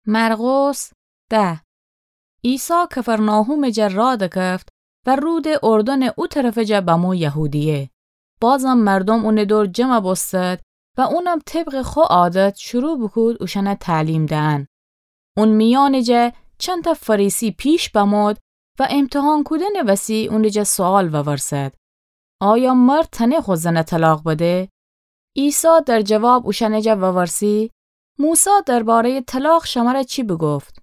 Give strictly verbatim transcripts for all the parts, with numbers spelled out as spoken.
مرقس ده. عیسی کفرناحومٚ جا راه دکفت و رودٚ اردنٚ او طرفٚ جا بمو یهودیه. بازم مردوم اونٚ دور جمع بوستد و اونم طبقٚ خو عادت شروع بوکود اوشأن تعلیم دئن. اون میأنٚ جا چندتأ فریسی پیش بمود و امتحان کودنٚ وسی اونٚ جا سؤال وورسد: آیا مرد تأنه خو زن طلاق بده؟ عیسی در جواب اوشأنٚ جا وورسی: موسی درباره‌یٚ طلاق شمر چی بوگفت؟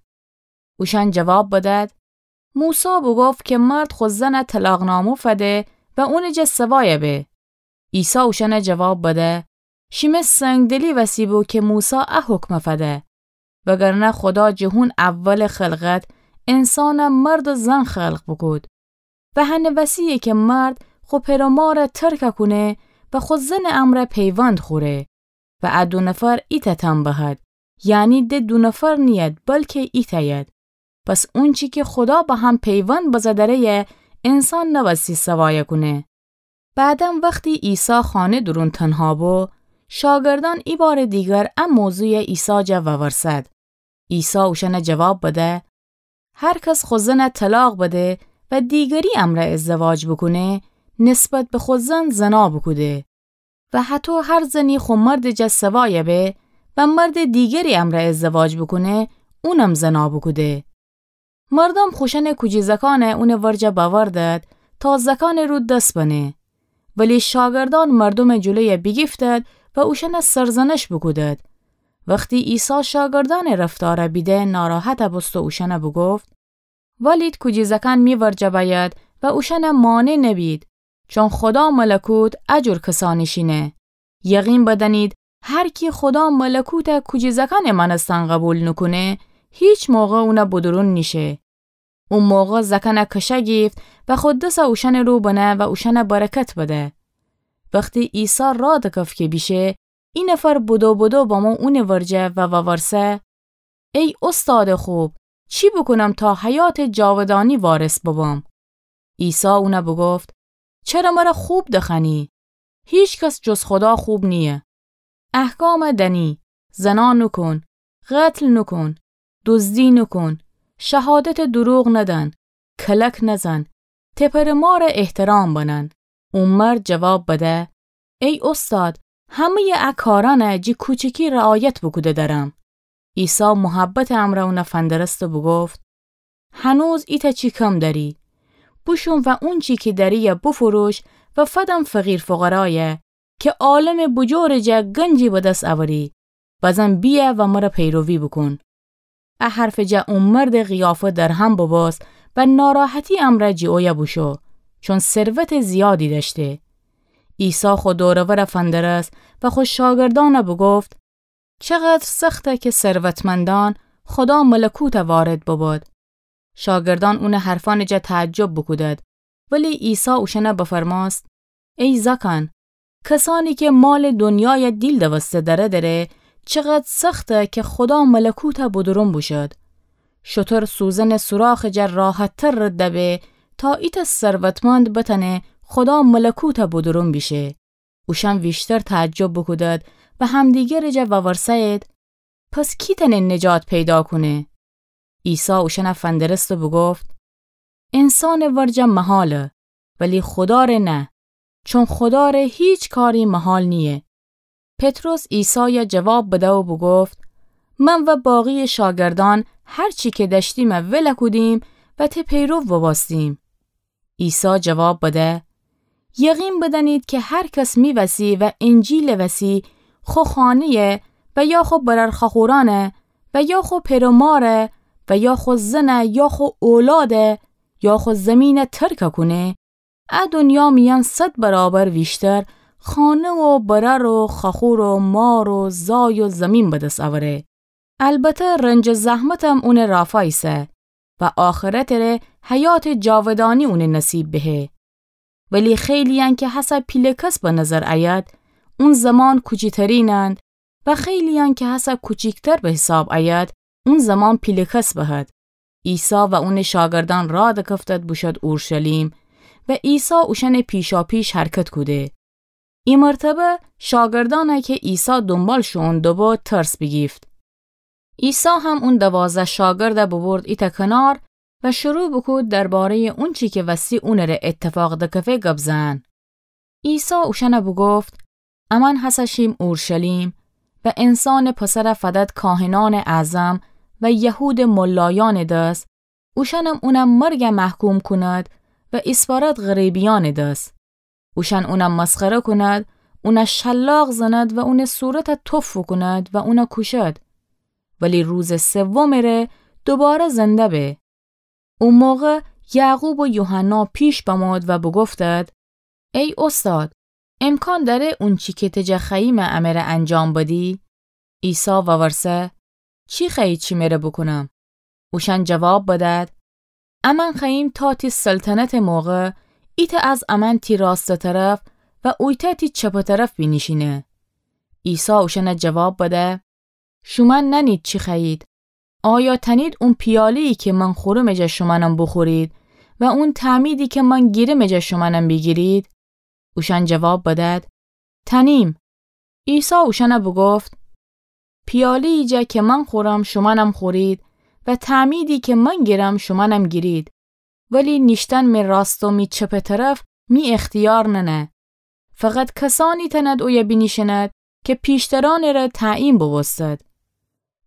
اوشأن جواب بدد: موسی بوگفت که مرد خو زن طلاق‌نامه فده و اونٚ جا سوای به. عیسی اوشأن جواب بده: شیمه سنگدلی وسی بو که موسی ا حکم فده. وگرنه خودا جٚه هون اولٚ خلقت انسان مرد و زن خلق بوکود. و هنٚ وسیه که مرد خو پئر و مار ترک کونه و خو زنٚ امرأ پیوند خوره و ا دو نفر ایتأ تن بهد، یعنی د دو نفر نیید، بلکه ایتأ ید. پس اونچی که خودا به هم پیوند بزه دره‌یه، انسان نوستی سوای کونه. بعداً وختی عیسی خانه دورون تنها بو، شاگردأن ایبارٚ دیگر ا موضوع عیسی جا وورسد. عیسی اوشأن جواب بده: هر کس خو زن طلاق بده و دیگری امرأ ازدواج بوکونه، نسبت به خو زن زنا بوکوده. و هطو هر زنی خو مردٚ جا سوای به و مردٚ دیگری امرأ ازدواج بوکونه، اونم زنا بوکوده. مردوم خوشأنٚ کوجی زکان اونٚ ورجه بأوردد تا زکانٚ رو دس بنه. ولی شاگردأن مردومٚ جلوی بیگیفتد و اوشأن سرزنش بوکودد. وختی عیسی شاگردأنٚ رفتار بیده، ناراحت بوست و اوشأن بوگفت: ولید کوجی زکان می ورجه بأید و اوشأن مانع نبید، چون خودا ملکوت ا جور کسأنٚ شینه. یقین بدأنید، هر کی خودا ملکوت کوجی زکانٚ مأنستن قبول نوکونه، هیچ موقع اون بدورون نیشه. او موقع زکان کشه گیفت و خو دس اوشأنٚ رو بنه و اوشأن برکت بده. وختی عیسی راه دکفت که بیشه، ای نفر بدو بدو بمو اونٚ ورجه و وورسه: ای اوستادٚ خوب، چی بوکونم تا حیاتٚ جاودانی وارث ببم؟ عیسی اون بوگفت: چره مر خوب دخوأنی؟ هیچ کس جز خودا خوب نییه. احکام دأنی: زنا نوکون، قتل نوکون، دزدی نوکون، شهادتٚ دروغ ندأن، کلک نزن، ته پئر و مار احترام بنن. او مرد جواب بده: ای اوستاد، همه‌یٚ ا کارأن جٚه کوچیکی رعایت بوکوده درم. عیسی محبتٚ امرأ اون فندرست و بوگفت: هنوز ایتأ چی کم دأری. بوشو و اونچی کی دأریی بوفروش و فدم فقیر فقرای، که عالمٚ بوجورٚ جا گنجی به دس اوری. بزن بیأ و مر پیروی بوکون. ا حرفٚ جا او مردٚ قیافه درهم ببوست و ناراحتی امرأ جٚه اویه بوشو، چون ثروتٚ زیادی دأشته. عیسی خو دور و ور فندرست و خو شاگردأن بوگفت: چقدر سخته که ثروتمندأن خودا ملکوت وارد ببد. شاگردأن اونٚ حرفأنٚ جا تعجب بوکودد، ولی عیسی اوشأن بفرمأست: ای زکان، کسأنی که مالٚ دنیای دیل دوسته دره دره، چقدر سخته که خودا ملکوت بدورون بوشد. شتر سوزنٚ سوراخٚ جا راحتتر رد به، تا ایتأ ثروتمند بتأنه خودا ملکوت بدورون بیشه. اوشأن ویشتر تعجب بوکودد و همدیگرٚ جا وورسه‌یید: پس کی تأنه نجات پیدا کونه؟ عیسی اوشأن فندرست و بوگفت: انسانٚ ورجه محاله، ولی خوداره نه، چون خوداره هیچ کاری محال نییه. پطرس عیسای جواب بده و بوگفت: من و باقیٚ شاگردأن هر چی که دأشتیم ول کودیم و ته پیرو ببوستیم. عیسی جواب بده: یقین بدأنید که هر کس می وسی و انجیلٚ وسی خو خانه‌ی و یا خو برأر خوأخورأن و یا خو پئر و مار و یا خو زن یا خو اولاده یا خو زمین ترک کونه، ا دنیا میأن صد برابر ویشتر خانه و برأر و خوأخور و مار و زای و زمین به دس اوره. البته رنج و زحمتم اونٚ رافا ایسه و آخرتٚ ره حیاتٚ جاودانی اونٚ نصیب بهه. ولی خیلی‌یأن که هسه پیله کس به نظر ایید، اون زمان کوچیترینند و خیلی‌یأن که هسه کوچیکتر به حساب ایید، اون زمان پیله کس بهد. عیسی و اونٚ شاگردأن راه دکفتد بوشد اورشلیم و عیسی اوشأنٚ پیشاپیش حرکت کوده. ای مرتبه شاگردأن که عیسی دونبال شوئون دوبو ترس بیگیفت. عیسی هم اون دوازده شاگرده ببرد ایتأ کنار و شروع بوکود درباره‌یٚ اونچی که وستی اونٚ ره ایتفاق دکفه گب زئن. عیسی اوشأنه بوگفت: امأن هسه شیم اورشلیم و انسانٚ پسره فدد کاهنأنٚ اعظم و یهودٚ ملایأنٚ دس، اوشأنم اونه مرگه محکوم کونید و ایسپارید غریبیأنٚ دس. اوشأن اونه مسخره کونید، اونه شلاق زنید و اونٚ صورته تف فوکونید و اونه کوشید. ولی روزٚ سومٚ ره دوباره زنده به. او موقع یعقوب و یوحنا پیش بمود و بوگفتید: ای اوستاد، امکان دأره اونچی که ته جا خوأییمه امه ره انجام بدی؟ عیسی وورسه: چی خوأیید شیمه ره بوکونم؟ اوشأن جواب بدید: امأن خوأییم تا تی سلطنتٚ موقع ایتأ از امأن تی راستٚ طرف و اویتأ تی چپٚ طرف بینیشینه. عیسی اوشأنه جواب بده: شومأن نأنید چی خوأیید. آیا تأنید اون پیاله‌یی که من خورومٚ جا شومأنم بوخورید و اون تعمیدی که من گیرمٚ جا شومأنم بیگیرید؟ اوشأن جواب بدید: تأنیم. عیسی اوشأنه بوگفت: پیاله‌یی جا که من خورم شومأنم خورید و تعمیدی که من گیرم شومأنم گیرید، ولی نیشتن می راست و می چپٚ طرف می اختیار ننه. فقط کسأنی تأنید اویه بینیشینید که پیشترأنٚ ره تعیین بوبوستید.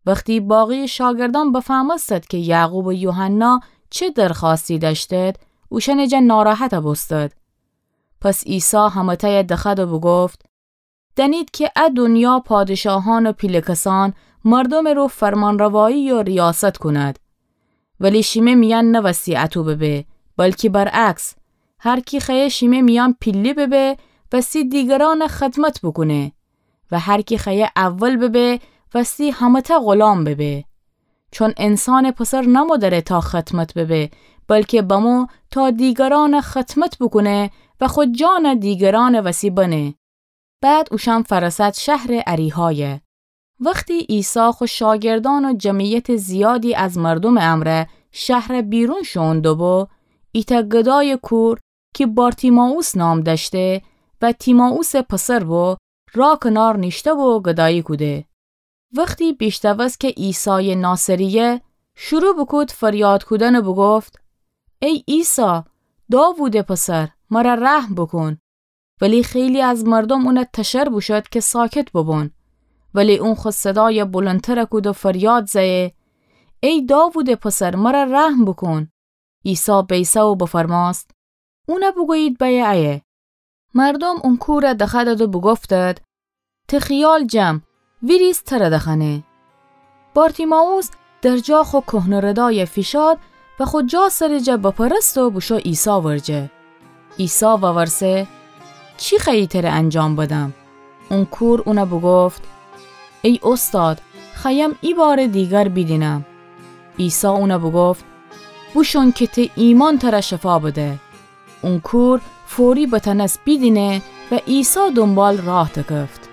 وختی باقی‌یٚ شاگردأن بفهمستید که یعقوب و یوحنا چه درخوأستی دأشتید، اوشأنٚ جا ناراحت بوستید. پس عیسی همه‌تأیه دخوأد و بوگفت: دأنید که ا دونیا پادشاهأن و پیله کسأن مردومٚ رو فرمانروایی و ریاست کونید. ولی شیمه میأن نوستی اطو ببه، بلکی برعکس، هر کی خوأیه شیمه میأن پیلی ببه، وستی دیگرأنه خدمت بوکونه و هر کی خوأیه اول ببه، وستی همه‌تأ غلام ببه. چون انسانٚ پسر نمو دأره تا خدمت ببه، بلکی بمو تا دیگرأنه خدمت بوکونه و خو جانه دیگرأنٚ وسی بنه. بعد اوشأن فأرسد شهرٚ اریحایه. وختی عیسی خو شاگردأن و جمعیتٚ زیادی از مردومٚ امرأ شهر بیرون شوئون دوبو، ایتأ گدایٚ کور کی بارتیمائوس نام دأشته و تیمائوسٚ پسر بو، راه کنار نیشته بو و گدایی کوده. وختی بیشنوست که عیسایٚ ناصریه، شروع بوکود فریاد کودن و بوگفت: ای عیسی، داوودٚ پسر، مر رحم بوکون. ولی خیلی از مردوم اونه تشر بوشود که ساکت بوبون. ولی اون خو صدای بلندتر کود و فریاد زه‌یه: ای داوودٚ پسر، مر رحم بوکون. عیسی بیسه و بفرمأست: اونه بوگویید بأیه ایه. مردوم اون کور دخوأدد و بوگفتد: ته خیال جم، ویریز تر دخوأنه. بارتیمائوس درجا خو کهنه ردای فیشاد و خو جا سرٚ جا بپرست و بوشو عیسی ورجه. عیسی وورسه: چی خوأیی تر انجام بدم؟ اون کور اونه بوگفت: ای اوستاد، خوأیم ایبارٚ دیگر بیدینم. عیسی اونه بوگفت: بوشون که ته ایمأن تر شفا بده. اون کور فوری بتأنست بیدینه و عیسی دونبال راه دکفت.